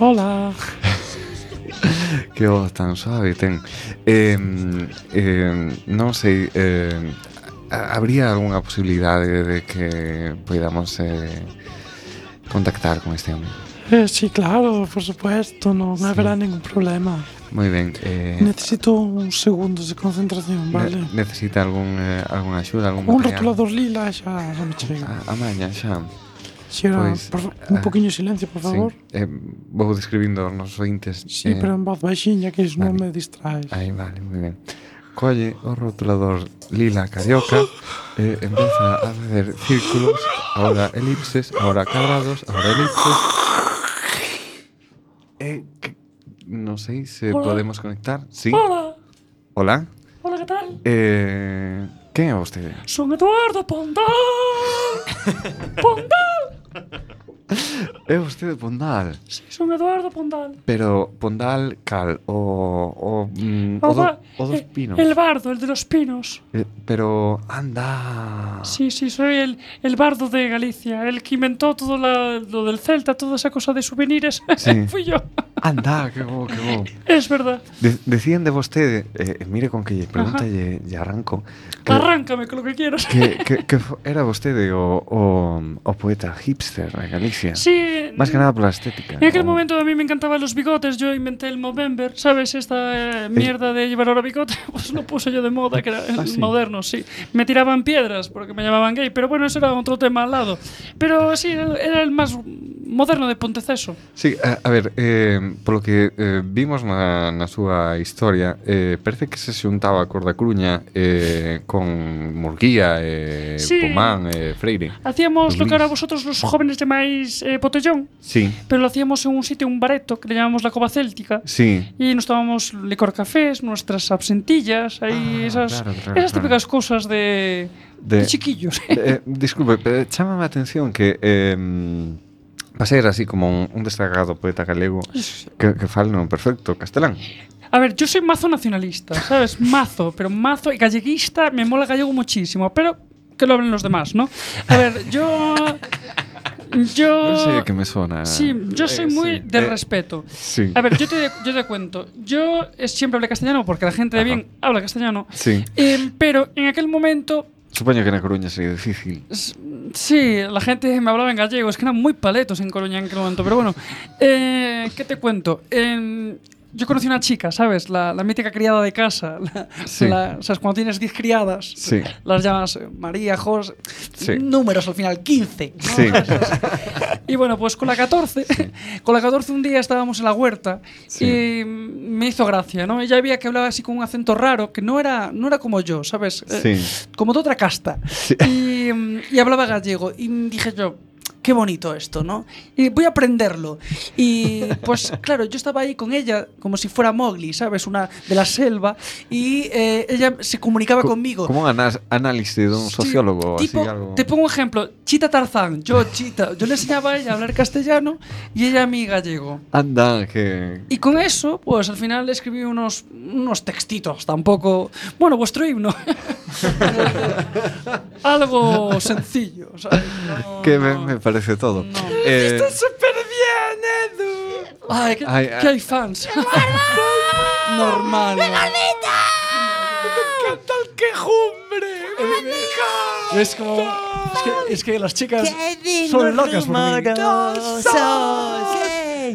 Hola. Que voz tan suave ten. Non sei, habría algunha posibilidade de que podamos contactar con este home? Sí, claro, por supuesto, non haberá ningún problema. Moi ben. Necesito uns segundos de concentración, vale? Necesita algunha axuda, algún un material? rotulador lila xa me chega. A maña xa. Si era, Pois, un poquinho de silencio, por favor. Sí. Vou describindo os nosos ointes. Sí, pero en voz baixinha, que iso non me distraes. Aí, vale, moi ben. Colle o rotulador lila carioca e empeza a facer círculos, ahora elipses, ahora cuadrados, ahora elipses. Non sei se Hola. podemos conectar. Sí. Hola. Hola. Hola, que tal? Quen é vostede? Son Eduardo Pondal. Pondal. É vostede Pondal. Sí, son Eduardo Pondal. Pero Pondal cal? O dos pinos. El bardo, el de los pinos. Pero anda. Sí, soy el bardo de Galicia, el que inventó todo lo del Celta, toda esa cosa de souvenirs. Sí. Fui yo. Anda, que bo, que bo. Es verdad. Decían de vostede, mire con que lle pregunta lle arranco. Arráncame con lo que quieras. Que era vostede o poeta hipster de Galicia. Sí. Más que nada pola estética. En aquel momento a mí me encantaban los bigotes. Yo inventé el Movember, ¿sabes? Esta mierda de llevar ahora bigote, pues lo puse yo de moda, que era sí. moderno, sí. Me tiraban piedras porque me llamaban gay, pero bueno, eso era otro tema al lado. Pero sí, era el más moderno de Ponteceso. Sí, a ver, polo que vimos na súa historia, parece que se xuntaba a Corda Coruña con Murguía, Sí. Pomán, Freire. Hacíamos lo que Luis. ahora vosotros los jóvenes llamáis botellón, Sí, pero lo hacíamos en un sitio, un bareto, que le llamamos la Cova Céltica. sí. Y nos tomábamos licor cafés, nuestras absentillas, ahí esas típicas cosas de chiquillos. Disculpe, pero chámame a atención que va a ser así como un destacado poeta galego que fale no perfecto castelán. A ver, yo soy mazo nacionalista, ¿sabes? Mazo, pero mazo y galleguista, me mola gallego muchísimo, pero que lo hablen los demás, ¿no? A ver, yo... No sé qué me suena. Sí, yo soy muy sí. del respeto. Sí. A ver, yo te cuento. Yo siempre hablé castellano porque la gente de bien habla castellano. Sí. Pero en aquel momento... Supoño que na Coruña sería difícil. Sí, la gente me hablaba en gallego. Es que eran muy paletos en Coruña en aquel momento. Pero bueno, ¿qué te cuento? Yo conocí una chica, ¿sabes? La mítica criada de casa. Sí. ¿Sabes? Cuando tienes 10 criadas, Sí. las llamas María, José. Sí. Números al final, 15. ¿no? Sí. Y bueno, pues con la 14, con la 14 un día estábamos en la huerta y me hizo gracia, ¿no? Ella veía que hablaba así con un acento raro, que no era como yo, ¿sabes? Sí. Como de otra casta. Sí. Y hablaba gallego. Y dije yo, qué bonito esto, ¿no? Y voy a aprenderlo. Y pues claro, yo estaba ahí con ella como si fuera Mowgli, ¿sabes? Una de la selva. Y ella se comunicaba conmigo. Como un análisis de un sociólogo. Tipo, así, algo. te pongo un ejemplo. Chita Tarzán, yo Chita. Yo le enseñaba a ella a hablar castellano y ella a mí gallego. Anda, que... Y con eso, pues al final le escribí unos textitos. Tampoco... Bueno, vuestro himno. Algo sencillo, ¿sabes? Que me parece todo. ¡Está súper bien, Edu! ¡Ay, que hay fans! Normal. ¡Me encanta el quejumbre! Es como... Es que las chicas son locas por mí.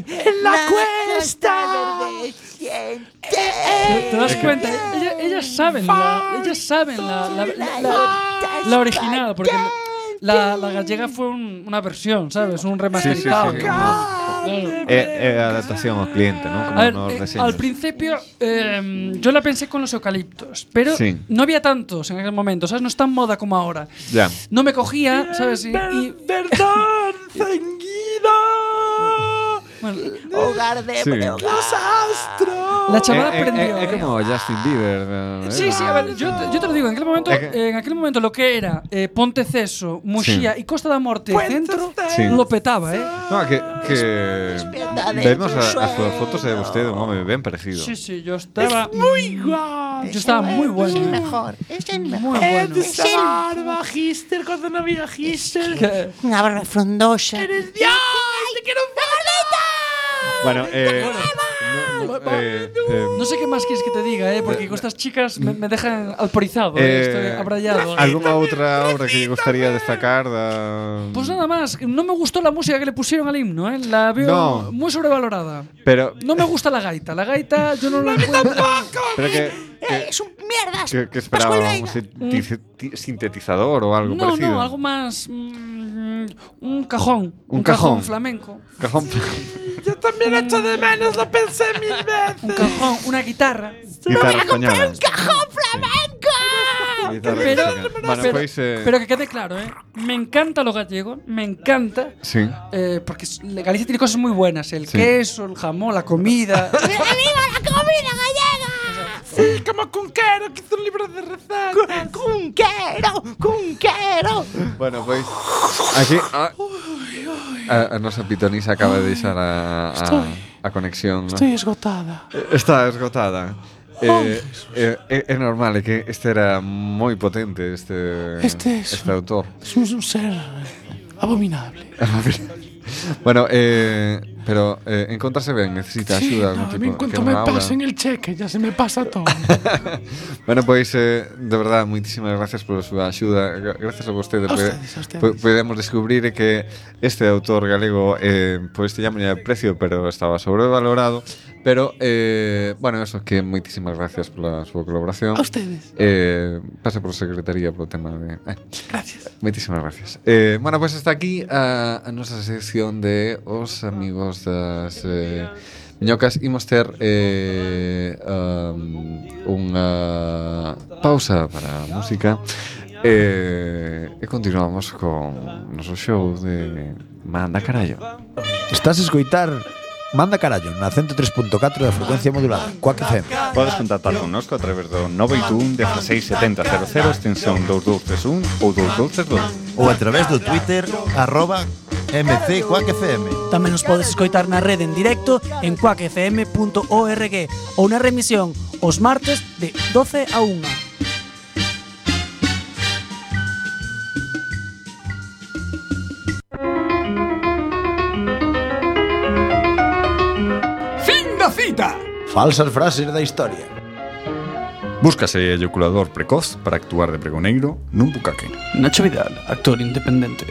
En la cuesta. ¿Te das cuenta? Ellas saben la original, porque la gallega fue una versión, ¿sabes? Un remasterizado. Sí. Adaptación al cliente, ¿no? Como A ver, nos reseñas. al principio yo la pensé con los eucaliptos, pero Sí. no había tantos en aquel momento, ¿sabes? No es tan moda como ahora. Ya. No me cogía, ¿sabes? Perdón, ceñido. Bueno, Hogar de Sí. los astros. la chavala aprendió. Es como Justin Bieber. Sí, a ver, yo te lo digo, en aquel momento lo que era Ponteceso, Muxía y Costa da Morte centro, Sí. lo petaba, ¿eh? No, que vemos as súas fotos de vostede un home ben parecido. Sí, yo estaba Muy guapo. Yo estaba muy bueno. Es el mejor, es el mejor. Muy bueno. Es el barba, Gister, cuando no había Gister. Que- Una barba frondosa. ¡Eres Dios! ¡Te quiero un Bueno, No sé qué más quieres que te diga, porque con estas chicas me dejan alporizado, estoy abrayado. ¿Alguna outra obra que lle gustaría destacar Pues nada más, no me gustó la música que le pusieron al himno, la veo No. muy sobrevalorada. Pero No me gusta la gaita yo no la encuentro. pero Es un mierdas. que esperaba Pascual un Veiga. sintetizador o algo parecido. No, algo más un cajón, Un cajón. flamenco. Cajón. Yo también echo de menos, lo pensé 1000 Un veces. cajón, una guitarra. Guitarra española. ¡Cajón flamenco! Guitarra Pero, española. Bueno, pero, pois pero que quede claro, me encanta lo gallego, me encanta. sí. Porque Galicia tiene cosas muy buenas, el Sí. queso, el jamón, la comida. ¡Viva la comida gallega! Sí, como Cunquero, que hizo un libro de recetas. ¡Cunquero! Bueno, pois aquí a nosa pitonisa acaba de deixar a conexión, ¿no? Estoy esgotada. Está esgotada. É normal, é que este era moi potente este autor. Es un ser abominable. Bueno, pero encontrarse ben, necesita axuda algún tipo. A mí en cuanto me pasen el cheque ya se me pasa todo. Bueno, pois, de verdad, moitísimas gracias pola súa axuda. Gracias a vostedes. Podemos descubrir que este autor galego pois teñamos precio, pero estaba sobrevalorado. Pero, bueno, eso, que moitísimas gracias pola súa colaboración. A ustedes. Pase por secretaría polo tema de... Gracias. Moitísimas gracias. Bueno, pois hasta aquí a nosa sección de os amigos das miñocas. Imos ter unha pausa para a música e continuamos con noso show de Manda Carallo. Estás a escoitar Manda Carallo na 103.4 da frecuencia modulada, Quack FM. Podes contactar connosco a través do 981 16 70 00 extensión 2231 ou 2232 ou a través do Twitter @MCQuackFM. Tamén nos podes escoitar na rede en directo en quackfm.org ou na remisión os martes de 12 a 1. Cita. Falsas frases da historia. Búscase eyaculador precoz para actuar de pregoneiro nun bucaque. Nacho Vidal, actor independiente.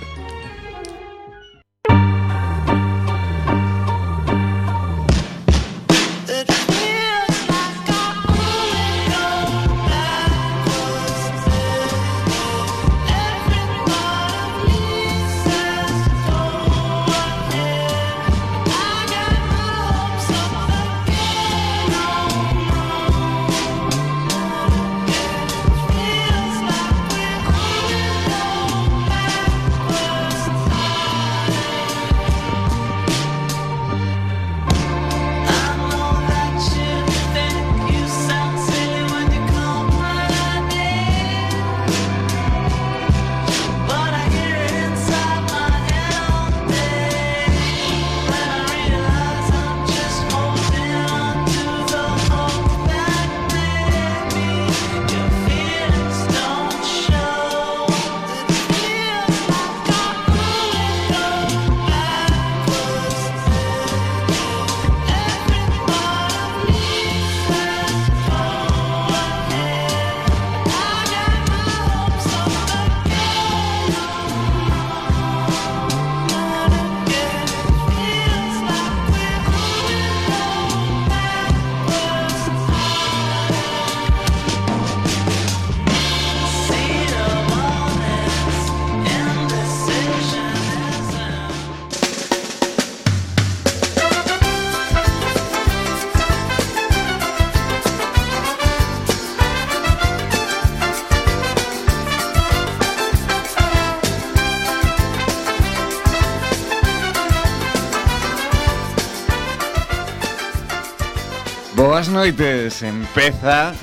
Boas noites, empeza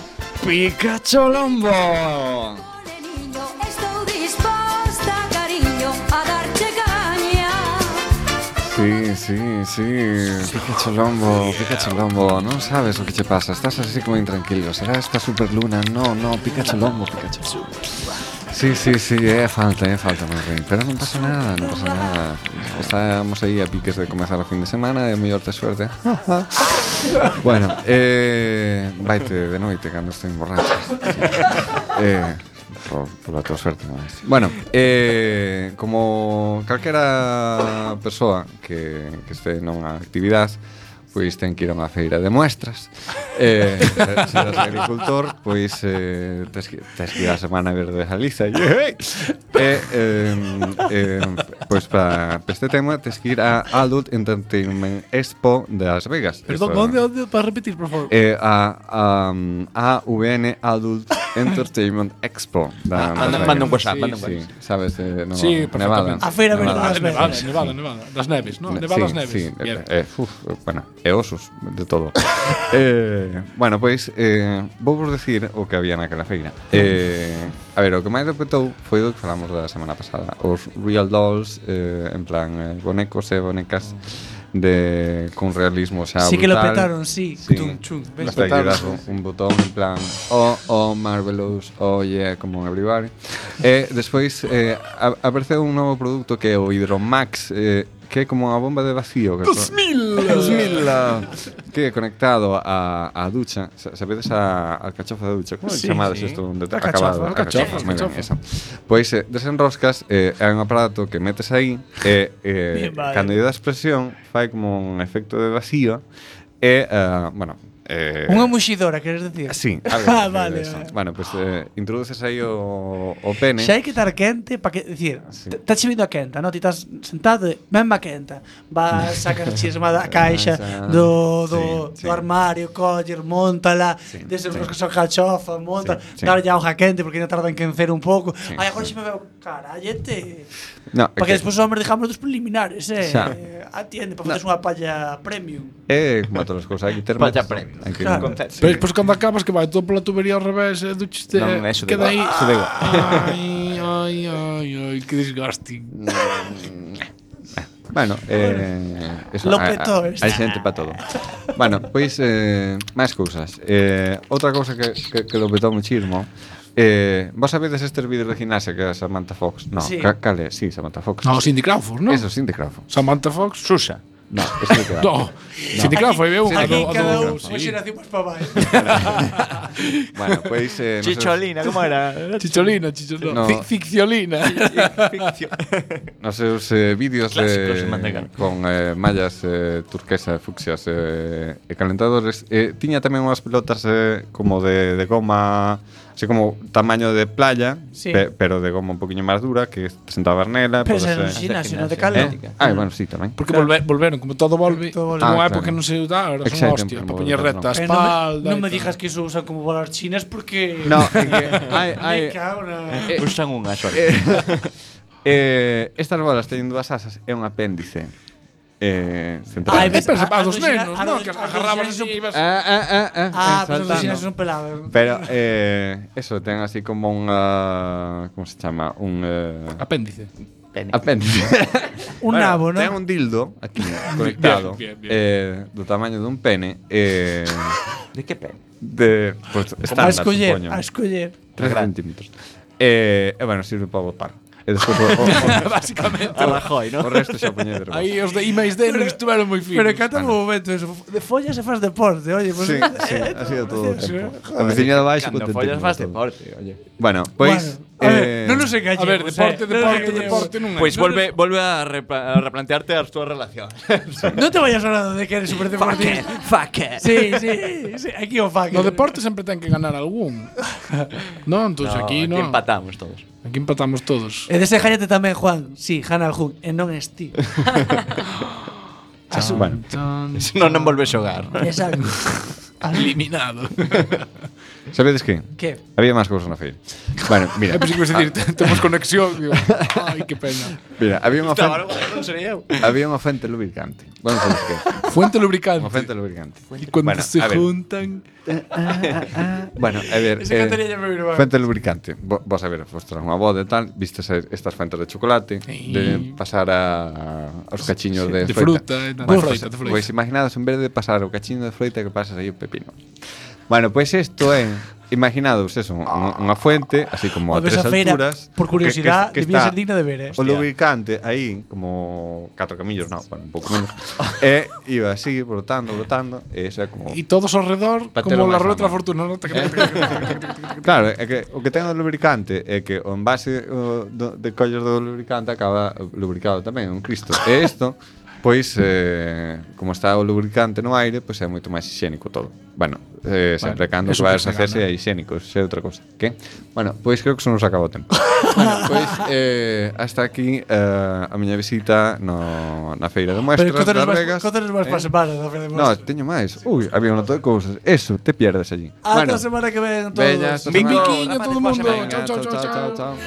Pikachu Lombo. Estou disposta, cariño, a darche caña. Sí, Pikachu Lombo, non sabes o que che pasa, estás así como intranquilo. Será esta superluna? No, Pikachu Lombo. Sí, é falta, meu rei. Pero non pasa nada. Estamos aí a piques de comezar o fin de semana e mellor te suerte. Bueno, vaite de noite cando estou borracho. Por a tua suerte, máis. Bueno, como calquera persoa que este nunha actividade, pois ten que ir a unha feira de muestras. Se eres agricultor, pois tes que ir a Semana Verde de Galiza. Pois para este tema tes que ir a Adult Entertainment Expo de Las Vegas. Perdón, onde? Para repetir, por favor. A AVN Adult Entertainment Expo. Manda un WhatsApp. Sí, sabes, sí, Nevada. A feira verde de Nevada. Das neves, ¿no? Nevadas neves. Sí, bueno, e osos, de todo. Bueno, pois vou vos decir o que había naquela feira. A ver, o que máis repetou foi o que falamos da semana pasada. Os Real Dolls, en plan bonecos e bonecas con realismo xa brutal. Sí que lo petaron, sí. Hasta que das un botón en plan oh, marvelous, oh yeah, como everybody. Despois apareceu un novo produto que é o Hydromax que é como unha bomba de vacío. 2000 que é conectado a ducha. Sabedes a alcachofa da ducha? Como chamades isto? Alcachofa. Pois desenroscas, é un aparato que metes aí e cando lle das presión fai como un efecto de vacío e, bueno, unha muxidora, queres decir? Sí, vale. Bueno, pues introduces aí o pene. Xa hai que estar quente para que, decir, está vindo a quenta, non? Ti estás sentado, mesma quenta. Vas, sacas chisma da caixa do armario, coller, montala, desenroscas a cachofa, monta, darlle auga quente porque ainda tarda en quencer un pouco. Ai, agora xe me veo, carallete. Para que despois os homes dejamos dos preliminares, atiende, para facer unha palla premium. Como todas as cousas, hai que ter palla premium. Pero despois cando acabas que vai todo pola tubería ao revés, duchiste, queda aí. Ai, que desgaste. Bueno, eso, hai xente para todo. Bueno, pois máis cousas. Outra cousa que lo petou muchísimo. Vos sabedes estes vídeos de gimnasia que é Samantha Fox? No, cal é? Sí, Samantha Fox. No, Cindy Crawford, ¿no? Eso, Cindy Crawford. Samantha Fox, Susa. No, ese que no. Cindy Crawford é unha do cada unha xeración máis para baixo. Bueno, pois Chicholina, como era? Chicholina, Ficciolina. Nos seus vídeos con mallas turquesa, fucsias e calentadores, tiña tamén unhas pelotas como de goma, así como tamaño de playa, pero de goma un poquinho máis dura, que te sentabas nela. Pero xa non xinasio, non de calor. Bueno, sí, tamén. Porque volveron, como todo volve, unha época non se usa, ahora son hostia, para poñer recta a espalda. Non me digas que iso usan como bolas chinas porque... No, hai... Usan unha sola. Estas bolas teñen dúas asas, é un apéndice. A dos nenos, non? Que agarrabas así e ibas... pero os chinas son pelados. Pero, eso, ten así como unha... Como se chama? Un... Apéndice. Apéndice. Un nabo, non? Ten un dildo aquí conectado do tamaño dun pene. De que pene? Pues estándar, supoño. A escoller. 3 centímetros. Bueno, sirve para botar. E despois básicamente a Rajoy, ¿no? O resto xa poñedero. Aí os de I+D non estuveron moi finos. Pero cata un momento eso, de follas se faz deporte, oye, pues ha sido todo o tempo. A veciña de baixo cando follas faz deporte, oye. Bueno, pois non nos engañemos. A ver, deporte non é. Pois volve a replantearte as túas relacións. Non te vayas hablando de que eres super deportista. Fuck it. Sí, aquí o fuck. No deporte sempre ten que ganar algún. Non, entón aquí non. Aquí empatamos todos. Aquí empatamos todos. E deséjate tamén, Juan. Sí, gana algún, e non es ti. Bueno, non volves a xogar. Exacto. Eliminado. Sabedes que? Que? Había máis cousas na feira. Bueno, mira. Pensei que ibas a decir, temos conexión. Digo, ai, que pena. Mira, había unha fuente. Non sería eu. Había unha fuente lubricante. Bueno, sabes que? Fuente lubricante. Unha fuente lubricante. E cando se juntan. Bueno, a ver. Fuente lubricante. Vos a ver, vos traen unha boda e tal, vistes estas fuentes de chocolate, de pasar aos cachiños de fruta. Pois imaginados, en vez de pasar o cachiño de froita, que pasas aí o pepino. Bueno, pois isto é, imaginados eso, unha fuente, así como a 3 alturas. Por curiosidade, debía ser digna de ver, O lubricante aí, como 4 camillos, non, bueno, un pouco menos. E iba así, brotando, e eso é como... E todos ao redor, como la ruleta da fortuna, non? Claro, é que o que ten o lubricante é que o envase de collos do lubricante acaba lubricado tamén, un Cristo. E isto... Pois, como está o lubricante no aire, pois é moito máis higiénico todo. Bueno, sempre cando que vais a hacerse é higiénico, é outra cosa. Que? Bueno, pois creo que se nos acabou o tempo. Bueno, pois, hasta aquí a miña visita na feira de muestras das Vegas. Contanos máis para semana da feira de No, muestras. teño máis. Ui, había un montón de cousas. Eso, te pierdes allí. Hasta a semana que ven todos. Biquiño todo o mundo. Chao, chao, chao.